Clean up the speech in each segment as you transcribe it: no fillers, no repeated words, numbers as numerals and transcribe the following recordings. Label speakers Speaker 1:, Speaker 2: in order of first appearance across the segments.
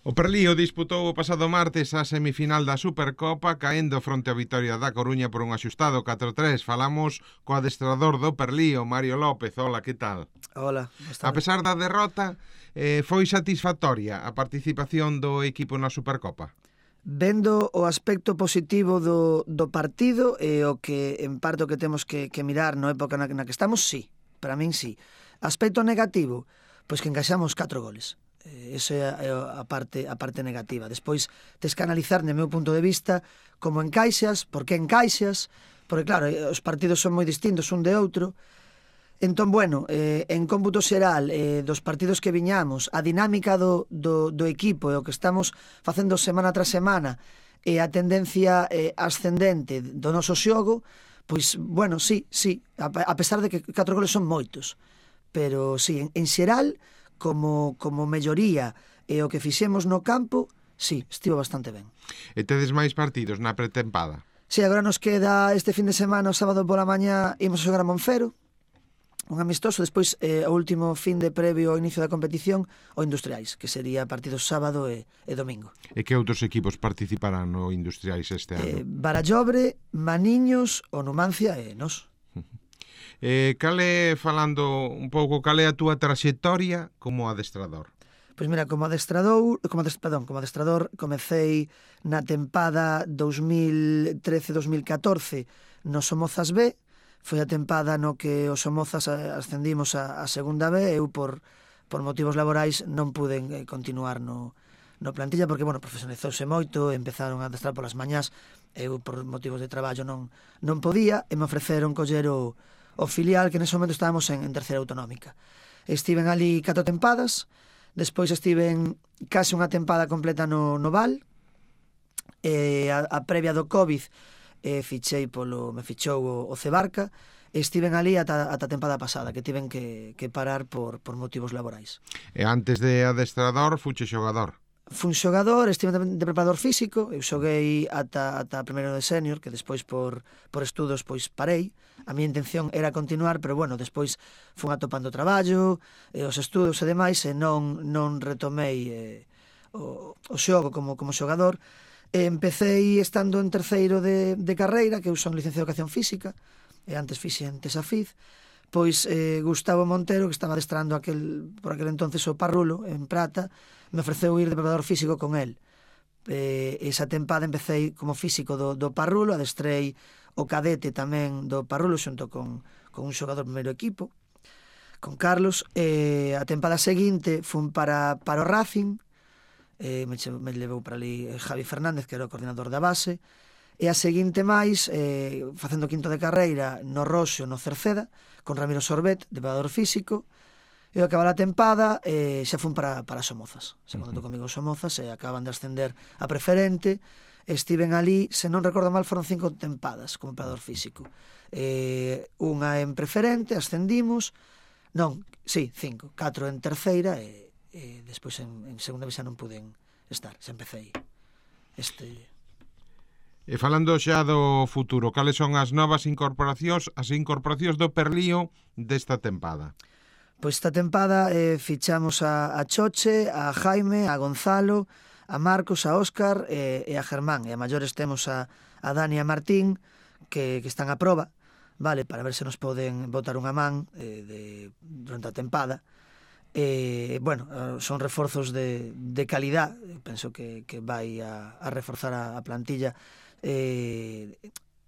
Speaker 1: O Perlío disputou o pasado martes a semifinal da Supercopa caendo fronte á Vitoria da Coruña por un axustado 4-3. Falamos co adestrador do Perlío, Mario López. Hola, que tal?
Speaker 2: Hola,
Speaker 1: A pesar da derrota, foi satisfactoria a participación do equipo na Supercopa?
Speaker 2: Vendo o aspecto positivo do partido e o que en parte o que temos que mirar na época na que estamos, sí, para min sí. Aspecto negativo, pois que encaixamos 4 goles. Esa é a parte negativa. Despois tes que analizar, no meu punto de vista, como encaixas, por que encaixas, porque claro, os partidos son moi distintos un de outro. Entón, bueno, en cómputo xeral dos partidos que viñamos, a dinámica do equipo e o que estamos facendo semana tras semana e a tendencia ascendente do noso xogo, pois, bueno, sí, a pesar de que 4 goles son moitos, pero sí, en xeral, como melloría e o que fixemos no campo, sí, estivo bastante ben.
Speaker 1: E tedes máis partidos na pretempada?
Speaker 2: Sí, agora nos queda este fin de semana, o sábado pola mañá, imos a xogar a Monfero, un amistoso, despois o último fin de previo ao inicio da competición, o Industriais, que sería partidos sábado e domingo.
Speaker 1: E que outros equipos participarán no Industriais este ano?
Speaker 2: Barallobre, Maniños, o Numancia e nos.
Speaker 1: Falando un pouco, cal é a túa traxectoria como adestrador?
Speaker 2: Pois mira, como adestrador comecei na tempada 2013-2014 no Somozas B. Foi a tempada no que os Somozas ascendimos a segunda B. Eu por motivos laborais non puden continuar no plantilla porque, bueno, profesionalizouse moito, empezaron a adestrar polas mañás, eu por motivos de traballo non podía e me ofreceron coller o filial, que nese momento estábamos en terceira autonómica. Estiven ali 4 tempadas, despois estiven case unha tempada completa no Val, a previa do Covid me fichou o Cebarca, e estiven ali ata a tempada pasada, que tiven que parar por motivos laborais.
Speaker 1: E antes de adestrador, fuche xogador?
Speaker 2: Fun xogador, estive de preparador físico, eu xoguei ata primeiro de senior, que despois por estudos pois parei. A miña intención era continuar, pero bueno, despois fun atopando traballo, os estudos e demais, e non retomei o xogo como xogador. Empecei estando en terceiro de carreira, que eu son licenciado de Educación Física, e antes fixen Tesafiz, pois Gustavo Montero, que estaba adestrando por aquel entonces o Parrulo, en Prata, me ofreceu ir de preparador físico con el. Esa tempada empecé como físico do Parrulo, adestrei o cadete tamén do Parrulo xunto con un xogador primeiro equipo, con Carlos. A tempada seguinte fun para o Racing, me levou para ali Javi Fernández, que era o coordinador da base, e a seguinte máis, facendo quinto de carreira no Roxo, no Cerceda, con Ramiro Sorbet, de preparador físico. E ao acabar a tempada xa fun para Somozas. Se contactou comigo Somozas e acaban de ascender a preferente. Estiven ali, se non recordo mal, foron 5 tempadas como preparador físico. Unha en preferente, ascendimos. Non, sí, 5. 4 en terceira e despois en segunda vez xa non puden estar. Xa empecé
Speaker 1: E falando xa do futuro, cales son as novas incorporacións, do Perlío desta tempada?
Speaker 2: Pois esta tempada fichamos a Choche, a Jaime, a Gonzalo, a Marcos, a Óscar e a Germán. E a maiores temos a Dani e a Martín, que están a proba, vale, para ver se nos poden botar unha man durante a tempada. Bueno, son reforzos de calidad, penso que vai a reforzar a plantilla,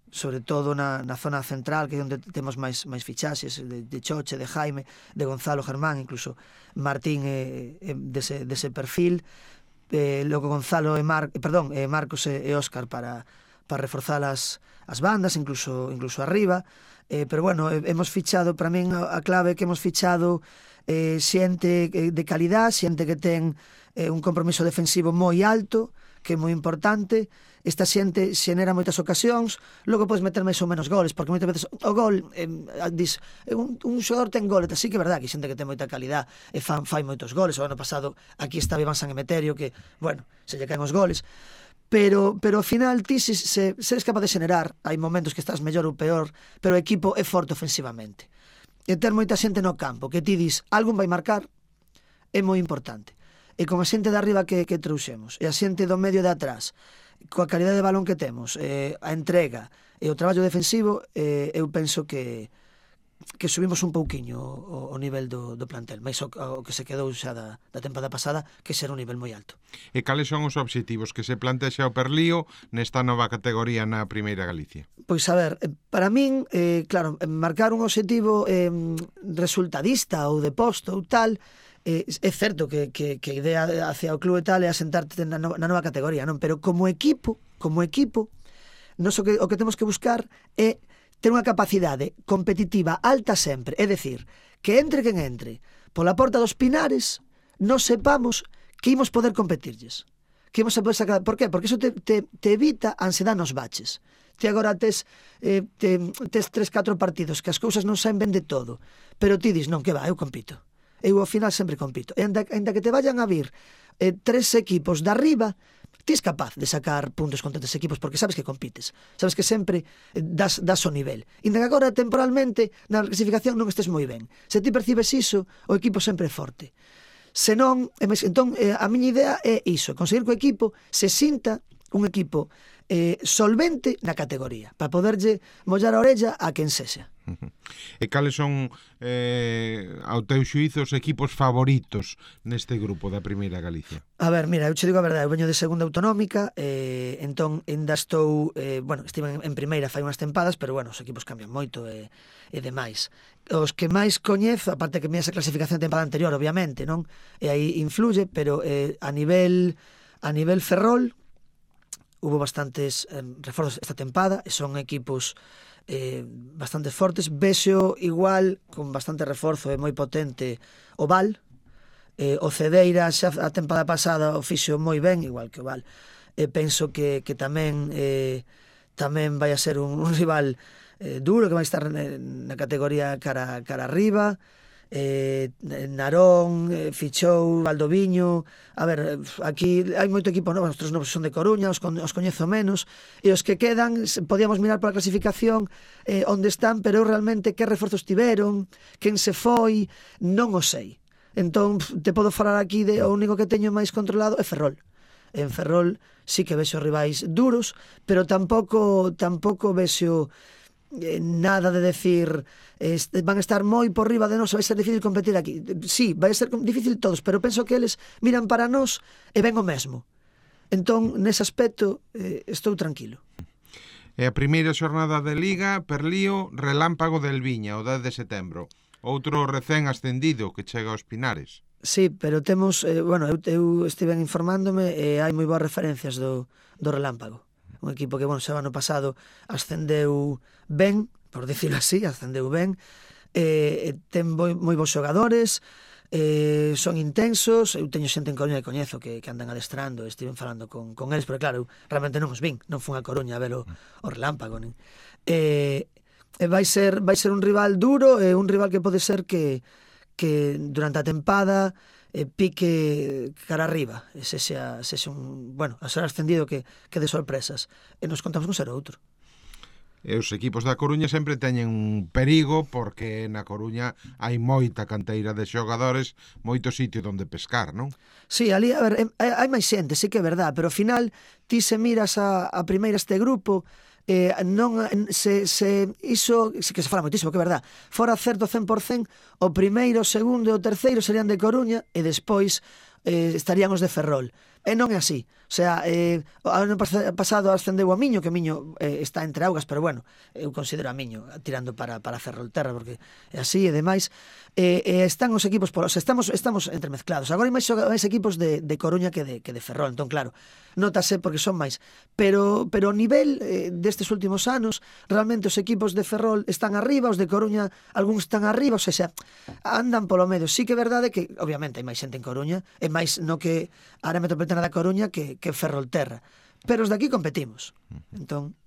Speaker 2: sobre todo na zona central, que é onde temos máis fichaxes de Choche, de Jaime, de Gonzalo, Germán, incluso Martín dese perfil, logo Gonzalo Marcos e Óscar para reforzar as bandas, incluso arriba. Pero bueno, hemos fichado, para min a clave é que hemos fichado xente de calidad, xente que ten un compromiso defensivo moi alto, que é moi importante. Esta xente xenera moitas ocasións, logo podes meter máis ou menos goles, porque moitas veces o gol, dis, un xogador ten goles, así que é verdad que xente que ten moita calidad e fai moitos goles. O ano pasado aquí estaba Iván San Emeterio, que, bueno, se lle caen os goles, pero ao final ti se eres capaz de xenerar, hai momentos que estás mellor ou peor, pero o equipo é forte ofensivamente. E ter moita xente no campo, que ti dis, algún vai marcar, é moi importante. e con a xente de arriba que trouxemos, e a xente do medio de atrás, coa calidade de balón que temos, a entrega e o traballo defensivo, eu penso que subimos un pouquiño o nivel do plantel, máis o que se quedou xa da tempada pasada, que será un nivel moi alto.
Speaker 1: E cales son os obxectivos que se plantexa o Perlío nesta nova categoría na Primeira Galicia?
Speaker 2: Pois a ver, para min, claro, marcar un obxectivo resultadista ou de posto ou tal, é certo que a idea hacia o club e tal é asentarte na nova categoría, non? Pero como equipo, nos o que temos que buscar é ter unha capacidade competitiva alta sempre, é dicir, que entre quen entre pola porta dos Pinares, non sepamos que imos poder competirlles, que imos a poder sacar. Por qué? Porque iso te evita a ansiedade nos baches. Ti agora tes 3-4 partidos que as cousas non saen ben de todo, pero ti dis, non, que va, eu compito. Eu ao final sempre compito. E ainda que te vayan a vir 3 equipos de arriba, ti és capaz de sacar puntos contra 3 equipos porque sabes que compites, sabes que sempre das o nivel. Ainda que agora temporalmente na clasificación non estés moi ben. Se ti percibes iso, o equipo sempre é forte. Se non, entón a miña idea é iso, conseguir que o equipo se sinta un equipo solvente na categoría, para poderlle mollar a orella a quen sexa.
Speaker 1: E cales son, ao teu xuízo, os equipos favoritos neste grupo da Primeira Galicia?
Speaker 2: A ver, mira, eu che digo a verdade, eu veño de segunda autonómica, entón ainda estou, estive en primeira fai unhas tempadas, pero bueno, os equipos cambian moito e demais. Os que máis coñezo, aparte que esa clasificación da tempada anterior, obviamente, non? E aí influye, pero a nivel Ferrol, hubo bastantes reforzos esta tempada, e son equipos bastante fortes. Vexo igual, con bastante reforzo e moi potente, o Val, o Cedeira xa a tempada pasada o fixo moi ben, igual que o Val. Penso que tamén vai a ser un rival duro, que vai estar na categoría cara arriba. Narón, fichou Valdoviño. A ver, aquí hai moito equipo novo, os 3 novos son de Coruña, os coñezo menos, e os que quedan podíamos mirar pola clasificación onde están, pero realmente que reforzos tiveron, quen se foi, non o sei. Entón te podo falar aquí de o único que teño máis controlado é Ferrol. En Ferrol sí que vexo rivais duros, pero tampouco vexo nada de decir van a estar moi por riba de nós, vai ser difícil competir aquí. Sí, vai ser difícil todos, pero penso que eles miran para nós e ven o mesmo. Entón, nese aspecto, estou tranquilo.
Speaker 1: E a primeira xornada de Liga, Perlío, Relámpago del Viña, o 10 de setembro. Outro recén ascendido que chega aos Pinares.
Speaker 2: Sí, pero temos, eu estive informándome e hai moi boas referencias do Relámpago. Un equipo que, xa o ano pasado ascendeu ben, por dicirlo así, ascendeu ben, ten moi bons xogadores, son intensos. Eu teño xente en Coruña que coñezo que andan adestrando, estiven falando con eles, pero claro, realmente non os vin, non fun a Coruña a ver o Relámpago, nin. Vai ser un rival duro, un rival que pode ser que durante a tempada pique cara arriba, ese xa un, a ser ascendido que de sorpresas, e nos contamos con ser outro.
Speaker 1: E os equipos da Coruña sempre teñen un perigo, porque na Coruña hai moita canteira de xogadores, moito sitio onde pescar, non?
Speaker 2: Sí, ali, a ver, hai máis xente, sí que é verdad, pero ao final ti se miras a primeira este grupo, non iso sí que se fala moitísimo, que é verdad, fora certo 100%, o primeiro, o segundo e o terceiro serían de Coruña e despois estarían os de Ferrol. E non é así. O sea, o ano pasado ascendeu a Miño, que Miño está entre augas, pero bueno, eu considero a Miño tirando para Ferrolterra, porque é así e demais. Están os equipos, estamos entremezclados. Agora hai máis equipos de Coruña que de Ferrol, entón claro, notase porque son máis. Pero o nivel destes últimos anos, realmente os equipos de Ferrol están arriba, os de Coruña algúns están arriba, ou seja, andan polo medio. Sí que é verdade que, obviamente, hai máis xente en Coruña, e máis no que a área metropolitana da Coruña que Ferrolterra, pero os de aquí competimos. Entón,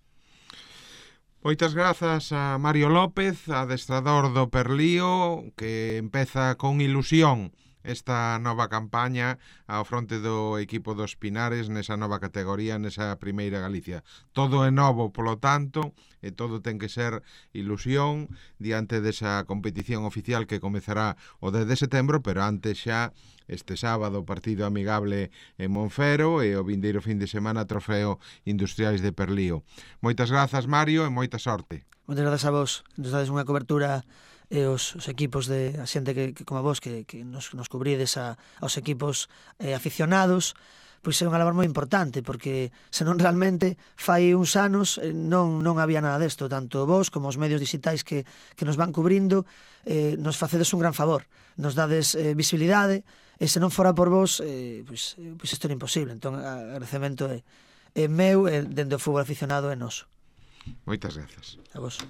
Speaker 1: moitas grazas a Mario López, adestrador do Perlío, que empeza con ilusión esta nova campaña ao fronte do equipo dos Pinares nesa nova categoría, nesa primeira Galicia. Todo é novo, polo tanto, e todo ten que ser ilusión diante desa competición oficial que comezará o 10 de setembro, pero antes xa este sábado partido amigable en Monfero e o vindeiro fin de semana Trofeo Industriais de Perlío. Moitas grazas, Mario, e moita sorte.
Speaker 2: Moitas grazas a vos, nos dades unha cobertura e os equipos de a xente que como a vos que nos cubrides aos equipos aficionados, pois é unha labor moi importante, porque senón realmente fai uns anos non había nada desto, tanto vos como os medios digitais que nos van cubrindo, nos facedes un gran favor, nos dades visibilidade, e se non fora por vos, pois isto era imposible. Entón, agradecemento é meu, dende o fútbol aficionado é noso.
Speaker 1: Moitas grazas.
Speaker 2: A vos.